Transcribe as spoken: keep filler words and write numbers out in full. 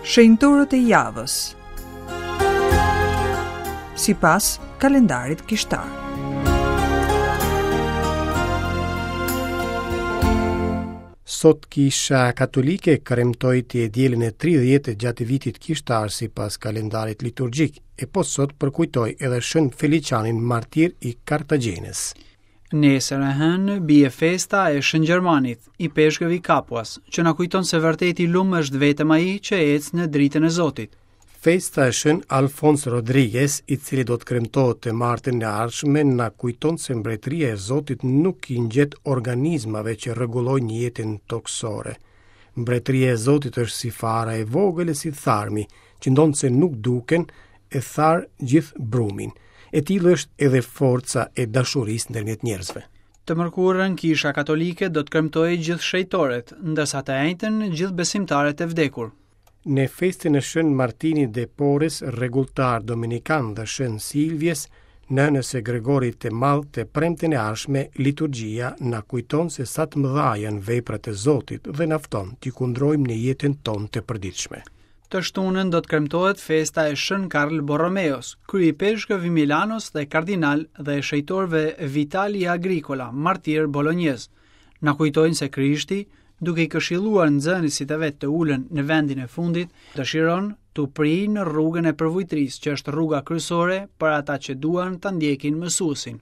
Shenjtorët e javës sipas kalendarit kishtar. Sot Kisha Katolike kremtoi të dielën e tridhjetë gjatë vitit kishtar sipas kalendarit liturgjik, e po sot përkujtoi edhe Shën Felicianin, martir i Kartagjenës. Nesër e hënë bie festa e Shën Gjermanit, ipeshkëv i Kapuas, që na kujton se vërtet i lum është vetëm ai që ecë në dritën e Zotit. Festa e Shën Alfons Rodriguez, i cili do të kremtohet të martën e ardhshme, na kujton se mbretëria e Zotit nuk i ngjet organizmave që rregullojnë jetën tokësore. Mbretëria e Zotit është si fara e vogël e si tharmi, që ndonëse nuk duken, e thar gjithë brumin. E tillë është edhe forca e dashurisë ndërmjet njerëzve. Të mërkurën Kisha Katolike do të kremtojë gjithë shenjtorët, ndërsa të enjten gjithë besimtarët e vdekur. Në festën e Shën Martinit de Porres, rregulltar dominikan dhe Shën Silvjes, nënës së Gregorit të Madh, të premten e ardhshme, liturgjia na kujton se sa të mëdha janë veprat e Zotit dhe na fton t'i kundrojmë në jetën tonë të përditshme. Të shtunën do të kremtohet festa e Shën Karl Borromeos, kryeipeshkëv i Milanos dhe kardinal dhe e shenjtorëve Vitali Agricola, martir bolonjez. Na kujtojnë se Krishti, duke i këshilluar nxënësit e vet të ulen në vendin e fundit, dëshiron t'u prijë në rrugën e përvujtrisë, që është rruga kryesore për ata që duan ta ndjekin mësuesin.